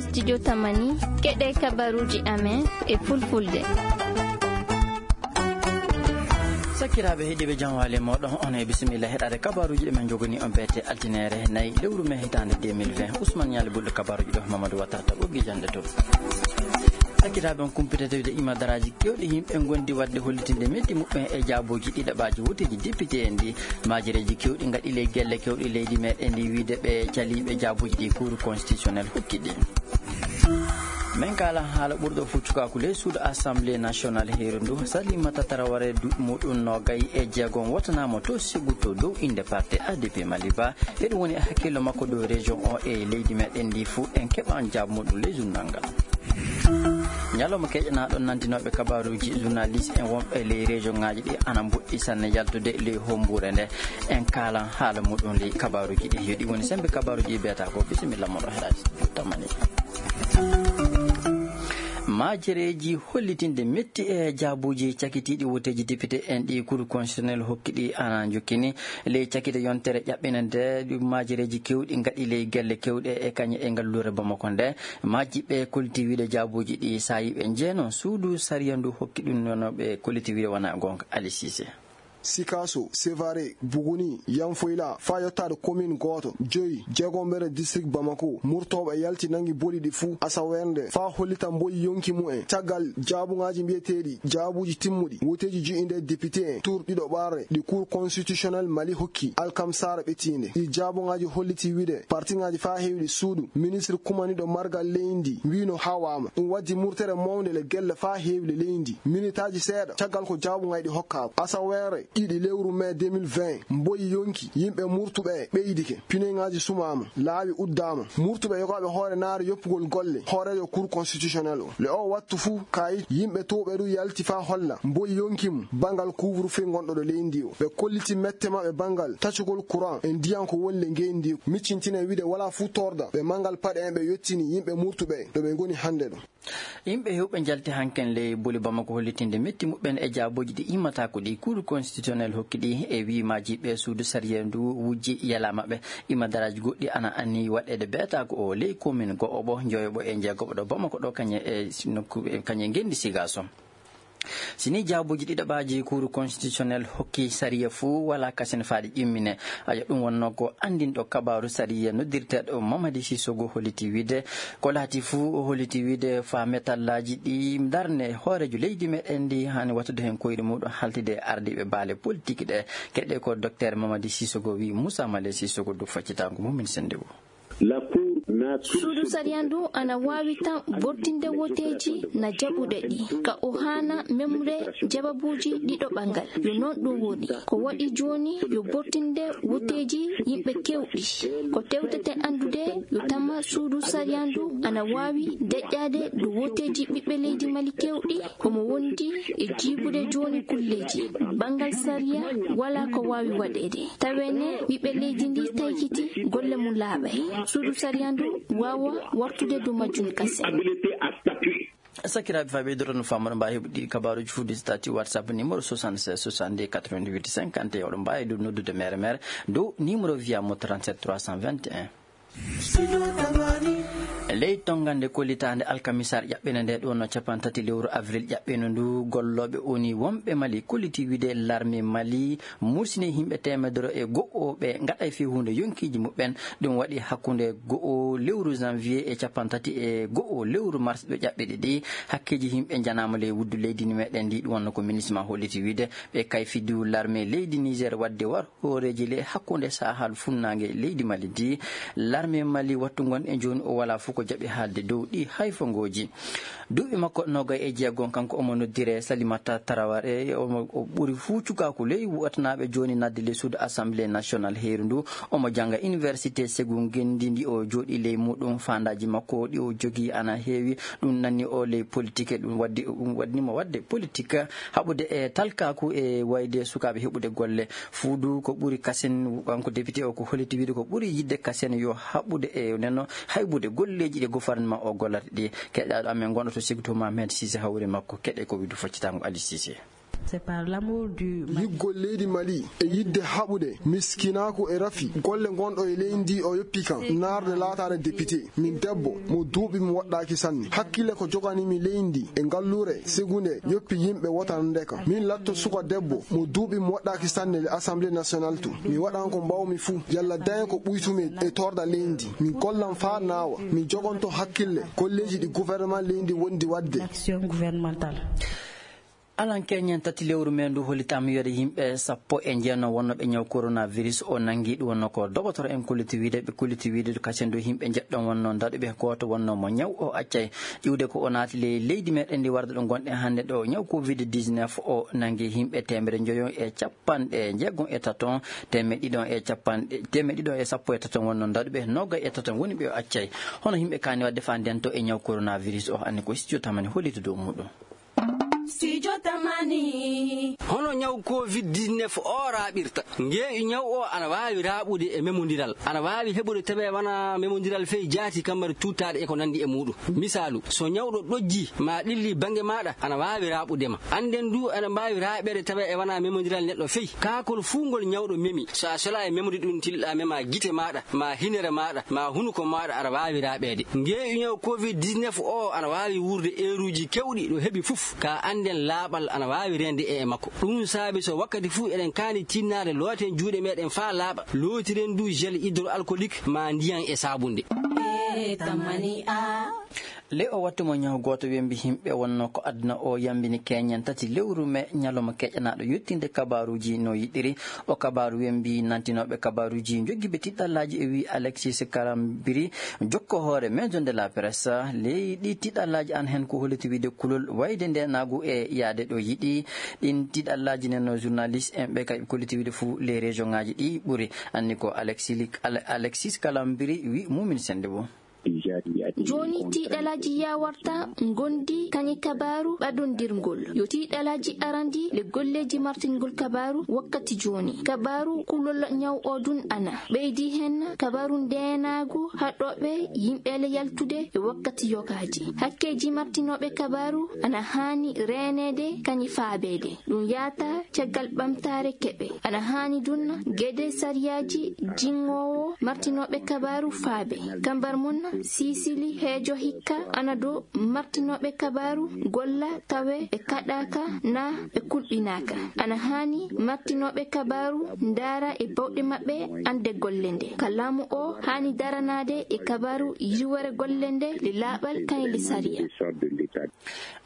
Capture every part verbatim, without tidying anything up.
Studio Tamani, keɗe kabaruji amen e fulfulde. Sakiraaɓe heɗiiɓe, jam waali e mooɗon, on e bisimilla heɗaade kabaruji ɗi men njogani on beete altine nayi lewru mee hitaande deux mille vingt. Ousmane Ñaali Bulɗo kabaruji ɗo, Mamadou Watara ta ɓoggi jande to. Sakiraaɓe, on kumpitete wiide imadaraaji kewɗi yimɓe ngondi waɗde hollitinde metti muɓɓen e jaabuji ɗiɗaɓaaji woteeji député en ɗi. Maajereeji kewɗi ngaɗi ley gelle kewɗi leydi meɗen ndi wiide ɓe caliiɓe jaabuji ɗi Cour constitutionnel hokki ɗi. Men kaala haala ɓurɗo fuu cukaaku ley suudu Assemblée nationale heeru ndu, Salimata Taraware, duuɓi muɗum noogay e jeegom, wotanaama to Ségou to dow innde parti A D P Maliba. Eɗum woni hakkillo makko dow région o e leydi meɗen ndi fuu. En keɓan jaabu muɗum ley journal ngal. Ñalawma keƴanaaɗo nantinooɓe kabaruuji journaliste en wonɓe ley région ŋaaji ɗi ana mboɗɗi sanne yaltude ley hombuure nde. En kaalan haala muɗum ley kabaruuji ɗi. Yo ɗi woni sembe kabaruuji ɗi beeta ko. Bisimilla moɗo Heraji Tamani. Maajereeji hollitinde metti e jaabuuji cakitiiɗi woteeji député en ɗi Cour constitutionnel hokki ɗi ana njokkini. Ley cakite yontere ƴaɓɓinde nde, ɗum maajereeji kewɗi ngaɗi ley gelle kewɗe e kañe e ngalluure Bamako nde. Majjiɓe kolliti wiide jaabuuji ɗi saayiiɓe njeeno suudu sariya ndu hokki ɗum nono ɓe kolliti wiide wona goonga. Ali Cissé. Sikaso, Sevare, Buguni, Yanfoyla, faa yottaade commune gooto, joyi, jeegombere district Bamako, murtooɓe yalti nangi boli ɗi fuu asaweere nde, faa hollita mboyi yonki mumen. Caggal jaabuŋaaji mbiyeteeɗi jaabuuji timmuɗi, woteeji ji'inde député en tour ɗiɗo ɓarre ɗi Cour constitutionnel Mali hokki alkamsaare ɓettiinde. Ɗi jaabuŋaaji holliti wiide partiŋaaji faa heewɗi suudu ministre kumaniiɗo margal leydi ndi wiino hawaama. Ɗum waddi murtere mawnde le gelle faa heewɗi leydi ndi. Minitaaji seeɗa caggal ko jaabuŋaaji ɗi hokkaama. Asaweere ɗiɗi lewru mee deux mille vingt, mboyi yonki, yimɓe murtuɓe ɓeydike, pineŋaaji sumaama, laawi uddaama. Murtuɓe yogaaɓe hoore naare yoppugol golle hooreejo Cour constitutionnel o. Le o wattu fuu, kayit yimɓe towɓe ɗum yalti faa holla mboyi yonki mum banngal couvre-feu ngonɗo ɗo leydi ndi o. Ɓe kolliti mette maɓɓe banngal tacugol courant e ndiyan ko woni le ngeendi ndi. Miccintine wiide walaa fuu torda ɓe manngal paɗe en ɓe yottini yimɓe murtuɓe ɗo ɓe ngoni hannde ɗo. Yimɓe heewɓe njalti hanken ley boli Bamako hollitinde metti muɓɓen e jaabuuji ɗi immataako ɗi Cour constitutionnel hokki ɗi e wiimaaji ɓe suudu sariya ndu wujji yalaa maɓɓe. Imadaraaji goɗɗi ana anni waɗeede beetaaku o ley commune go'oɓo, njoyoɓo e jeegoɓo ɗo Bamako ɗo kañe e nokku, e kañe ngenndi Sigaso. Si ni jaabuuji ɗiɗaɓaaji Cour constitutionnel hokki sariya fuu, walaa kasen faa ɗi ƴimmine. Aja, ɗum wonnoo ko anndinɗo kabaaru sariya noddirteeɗo Mamadi Sissogo holliti wiide, ko laati fuu o holliti wiide faa metallaaji ɗi darne hooreejo leydi meɗen ndi haani wattude heen koyɗe muɗum haltide e ardiiɓe baale politik ɗe. Keɗe ko Docteur Mamadi Sissogo wi Moussa Malé Sissogo dow faccitaango mum min sennde o. Suudu sariya ndu ana waawi tan bortinde woteeji na jaɓuɗe ɗi, ka o haana memre jababuuji ɗiɗo ɓangal. Yo noon ɗum woni. Ko waɗi jooni yo bortinde woteeji yimɓe kewɗi. Ko tewtete anndude yo tama suudu sariya ndu ana waawi deƴƴaade dow woteeji ɓiɓɓe leydi Mali kewɗi, omo wondi e jiibude jooni kulleeji. Banngal sariya walaa ko waawi waɗeede. Tawene ɓiɓɓe leydi ndi taykiti golle mum laaɓay. Suudu sariya ndu waawa wartude dow majjum kasen. Sakiraaɓe, faa ɓeydoto no faamoro mbaawi heɓude ɗi kabaaruuji fuu dow statut WhatsApp numéro soixante-seize soixante-deux quatre-vingt-huit cinquante et un. Oɗon mbaawi ɗum noddude mere mere dow numéro via mo trente-sept trois cent vingt et un. Ley tonngande kollitaande alkamisaare ƴaɓɓende nde ɗo no cappanɗe tati lewru avril ƴaɓɓende ndu, gollooɓe O N U wonɓe Mali kolliti wiide larme Mali mursini yimɓe teemedere e go'o ɓe ngaɗay fii huunde yonkiiji muɓɓen. Ɗum waɗi hakkunde go'o lewru janvier e cappanɗe tati e go'o lewru mars ɓe ƴaɓɓiɗi ɗi. Hakkeeji yimɓe njanaama ley wuddu leydi ni meɗen ndi, ɗum wonno ko MINUSMA holliti wiide ɓe kayfi dow larme leydi Niger waɗde war hooreeji le hakkunde Sahal funnaange leydi Mali ndi. Larme Mali wattu ngon e jooni o walaa fof ko jaɓi haalde dow ɗi hayfongooji. Duuɓi makko noogay e jeegom, kanko omo noddire Salimata Taraware, omo, o ɓuri fuu cukaaku ley watanaaɓe jooni nadde ley suudu Assemblée nationale heeru ndu. Omo jannga Université Ségou ngenndi ndi o jooɗi ley muɗum. Faandaaji makko ɗi o jogii ana heewi. Ɗum nanni o ley politique, ɗum waddi, ɗum waɗni mo waɗde politique, haɓude e talkaaku e wayde sukaaɓe heɓude golle. Fuudu ko ɓuri kasen, kanko député o ko holliti wiide ko ɓuri yiɗde kasen yo haɓude e neno haybude golleeji ɗi gouvernement o gollata ɗi. Keɗaaɗo amen gonɗo to Ségou to Mohamed Cissé hawri makko. Keɗe ko wiide faccitaango Ali Cissé. C'est par l'amour du Mali. Yiɗgol leydi Mali e yiɗde haɓude miskinaaku e rafi golle ngonɗo e leydi ndi o yoppi kan naarde laataade député. Min debbo mo duuɓi mi waɗɗaaki sanne. Hakkille ko joganii mi leydi ndi e ngalluure sigunde yoppi yimɓe wotande kan. Min latto suka debbo mo duuɓi mi waɗɗaaki sanne le Assemblée nationale to. Mi waɗan ko mbaawmi fuu yalla daña ko ɓuytumi e torɗa leydi ndi. Min gollan faa naawa. Min jogonto hakkille golleeji ɗi gouvernement leydi ndi wondi waɗde. Action gouvernementale. Alan keñen tati lewru men ndu hollitaama wiyde yimɓe sappo e jeenayi wonnooɓe ñaw coronavirus o nanngi. Ɗum wonno ko dogotoro en kolliti wiyde, ɓe kolliti wiyde kasen ndu yimɓe njeɗɗon wonno daɗuɓe, gooto wonno mo ñaw o accay iwde ko o naati ley leydi meɗen ndi warde ɗo ngonɗen hannde ɗo. Ñaw covid dix-neuf o nanngi yimɓe teemedere njoyo e capanɗe jeegom e taton, teemeɗɗe ɗiɗon e capanɗe, teemeɗɗe ɗiɗon e sappo e taton wonno daɗuɓe, noogay e taton woni ɓe o accay. Hono yimɓe kaani waɗde faa ndento e ñaw coronavirus o, anni ko studio tamani hollita dow muɗum. Studio Tamani. Hono ñaw covid dix-neuf o raaɓirta? Ngeeƴu ñaw o ana waawi raaɓude e memondiral. Ana waawi heɓude tawi wona memondiral fey jaati, kammari tuuttaaɗe e ko nanndi e muuɗum. Misaalu, so ñawɗo ɗojji ma ɗilli bannge maaɗa, ana waawi raaɓude ma. Annden du, ana mbaawi raaɓeede tawi e wona memondiral neɗɗo fey. Kaakol fuu ngol ñawɗo memi, so a sola e memde ɗum, tilɗa mema gite maaɗa, ma hinere maaɗa, ma hunuko maaɗa, aɗa waawi raaɓeede. Ngeeƴu ñaw covid dix-neuf o ana waawi wuurde eeruuji keewɗi ɗo heɓi fof, ka annden laaɓal ana waawi reende e e makko. Ɗum saabi so wakkati fuu eɗen kaani tinnaade looten juuɗe meɗen faa laaɓa, lootiren du gel hydroalcoolique ma ndiyan e saabunde. E tammani a. Ley o wattu mo ñaw gooto wembi yimɓe wonno ko aduna o yambini keñen tati lewru me ñalawma keƴanaaɗo yettinde kabaaruuji no yiɗiri. O kabaaru wembi nantinooɓe kabaaruuji jogiiɓe tiɗɗallaaji e wi Alexis Karambiri, jokko hoore Maison de la Presse. Ley ɗi tiɗɗallaaji an hen ko holliti wiide kulol wayde nde naagu e yaade ɗo yiɗi. Ɗin tiɗɗallaaji nen no journaliste en ɓe kay kolliti wiide fuu les région ngaji ɗi ɓuri. Anni ko Alexis, Alexis Kalambiri wi Mumin Sende bo. Jooni tiiɗalaaji yawarta ngondi kañe kabaaru ɓadondirngol. Yo tiiɗalaaji arandi le golleeji martingol kabaaru wakkati jooni. Kabaaru kulol ñaw o dun ana ɓeydi hen kabaaru ndeenaagu haɗooɓe yimɓe le yaltude e wakkati yogaaji. Hakkeeji martinooɓe kabaaru ana haani reeneede kañe faabeede. Ɗum yaata caggal ɓamtaare keɓe. Ana haani dun gede sariyaaji jinngoowo martinooɓe kabaaru faabe. Kambar mun sisili heejo hikka ana do martinooɓe kabaaru golla tawe ɓe kaɗaaka na ɓe kulɓinaaka. Ana haani martinooɓe kabaaru ndaara e bawɗe maɓɓe ande golle nde. Ka laamu o haani daranaade e kabaaru yiwere golle nde le laaɓal kañe le sariya.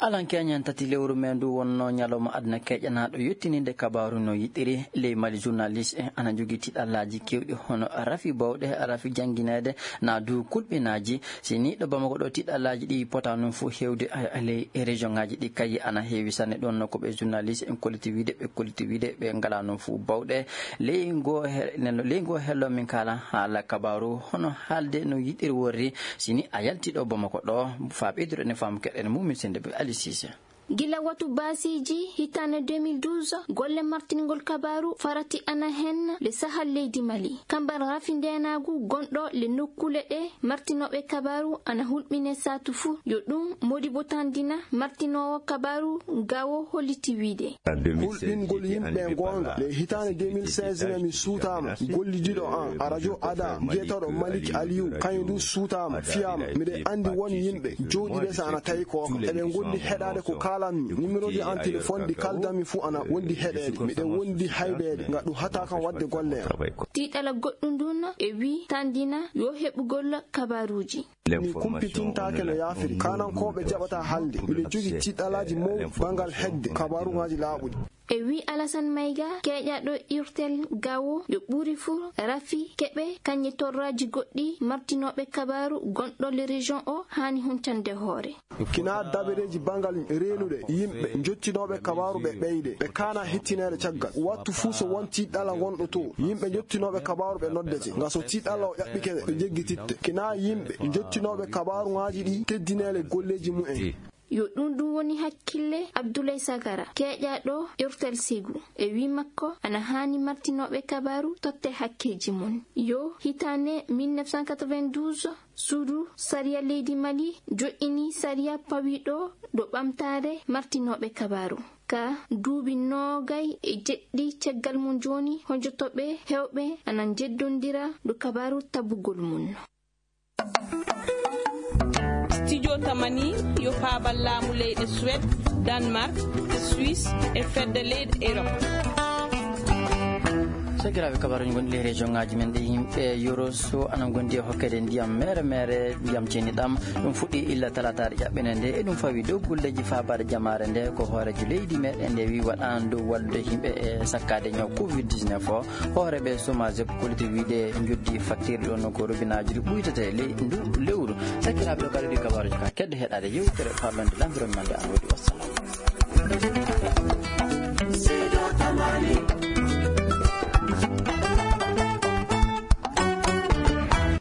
Alan keñen tati lewru me ndu wonno ñalawma aduna keƴanaaɗo yettininde kabaaru no yiɗiri. Ley Mali journaliste en ana jogii tiɗallaaji keewɗi hono rafi bawɗe, rafi janngineede, na du kulɓinaaji. Si ni ɗo Bamako ɗo tiɗallaaji ɗi pota noon fof heewde, a, a, ley région ngaji ɗi kayi ana heewi sanne. Ɗon no ko ɓe journaliste en kolliti wiide, ɓe kolliti wiide ɓe ngala noon fof bawɗe. Ley ngo he-, nen-, ley ngo hello min kala haala kabaaru hono haalde no yiɗiri worri. Si ni a yalti ɗo Bamako ɗo, faa ɓeyduɗo ene faamu keɗen Mumin Sende be Ali Cissé. Gila watu baasiiji hitaande deux mille douze, golle martingol kabaaru farati ana hen le sahal leydi Mali. Kambar rafi ndeenaagu gonɗo le nokkuule ɗe martinooɓe kabaaru ana hulɓine saatu fuu. Yo ɗum Modibo Tandina, martinoowo kabaaru gawo holliti wiide. Hulɓingol yimɓe goonga. Le hitaande deux mille seize ne mi suutaama. Gollidiɗo an, a radio ada, biyeteeɗo Malik Aliou, kañum du suutaama, fiyaama. Miɗen anndi won yimɓe jooɗiiɓe so ana tawi ko eɓe ngondi heɗaade ko kaalanmi. Numéro ji an téléphone ɗi kaaldanmi fuu ana wondi heɗeede. Miɗen wondi haybeede, nga ɗum hata kam waɗde golle am. Tiiɗala goɗɗum ndun e wi Tandina yo heɓugol kabaaruuji. Mi kumpitintaake no yaafiri. Kaanankooɓe jaɓata haalde. Miɗo jogii tiiɗalaaji mawɗi banngal heɓde kabaaruuji laaɓuɗi. E wi Alassane Maïga, keeƴaaɗo Urtel Gawo, yo ɓuri fuu rafi keɓe kañe torraaji goɗɗi martinooɓe kabaaru gonɗo le région o haani huntande hoore. Kina dabareeji banngal reenuɗe yimɓe njottinooɓe kabaaru ɓe ɓeyde, ɓe kaana hettineede caggal. Wattu fuu so won tiiɗɗala ngonɗo to, yimɓe njottinooɓe kabaaru ɓe noddete. Nga so tiiɗɗala o ƴaɓɓike ɓe, ɓe njeggititte. Kina yimɓe njottinooɓe kabaaruŋaaji ɗi keddineele golleeji mumen. Yo ɗum ɗum woni hakkille Abdoulaye Sagara, keeƴaaɗo Urtel Ségou. E wi makko, ana haani martinooɓe kabaaru totte hakkeeji mum. Yo hitaande mille neuf cent quatre-vingt-douze, suudu sariya leydi Mali joƴƴini sariya pawiiɗo ɗo ɓamtaare martinooɓe kabaaru. Ka duuɓi noogay e jeɗɗi caggal mum jooni, hojotooɓe heewɓe ana njeddondira dow kabaaru tabugol mum. Studio Tamani yo paabal laamu leyɗe Suède, Danemark, Suisse e fedde leyɗe Europe. Sakiraaɓe, kabaruuji gonɗi e région ŋaaji men ɗi, yimɓe Yoro so ana ngondi e hokkede ndiyam mere mere, ndiyam ceeniɗam. Ɗum fuɗɗi illa talaataare ƴaɓɓene nde. Eɗum fawi dow golleeji faabaade jamaare nde. Ko hooreejo leydi meɗen nde wi waɗaano dow wallude yimɓe e sakkaade ñaw covid dix-neuf o. Hooreeɓe Somagep kolliti wiide njoddi facture ɗo no ko robinaaji ɗi ɓuytete ley ndu lewru. Sakiraaɓe, o kadi ɗi kabaruuji ka kedde heɗaade yewtere parlonde l'environnement nde an woodi. Wassalam.